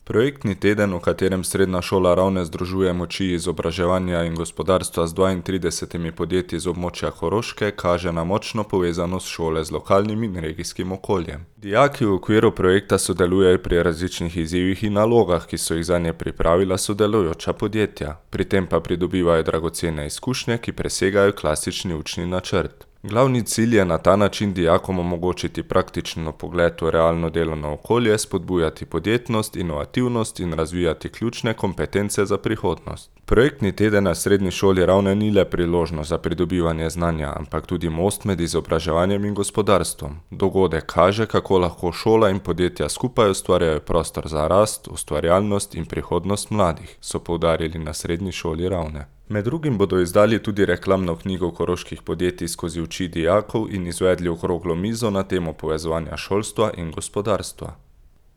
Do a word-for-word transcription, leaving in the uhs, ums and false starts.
Projektni teden, v katerem Srednja šola Ravne združuje moči izobraževanja in gospodarstva z dvaintridesetimi podjetji z območja Koroške, kaže na močno povezanost šole z lokalnim in regijskim okoljem. Dijaki v okviru projekta sodelujejo pri različnih izzivih in nalogah, ki so jih zanje pripravila sodelujoča podjetja. Pri tem pa pridobivajo dragocene izkušnje, ki presegajo klasični učni načrt. Glavni cilj je na ta način dijakom omogočiti praktičen vpogled v realno delovno okolje, spodbujati podjetnost, inovativnost in razvijati ključne kompetence za prihodnost. Projektni teden na Srednji šoli Ravne ni le priložnost za pridobivanje znanja, ampak tudi most med izobraževanjem in gospodarstvom. Dogodek kaže, kako lahko šola in podjetja skupaj ustvarjajo prostor za rast, ustvarjalnost in prihodnost mladih, so poudarili na Srednji šoli Ravne. Med drugim bodo izdali tudi reklamno knjigo koroških podjetij skozi oči dijakov in izvedli okroglo mizo na temo povezovanja šolstva in gospodarstva.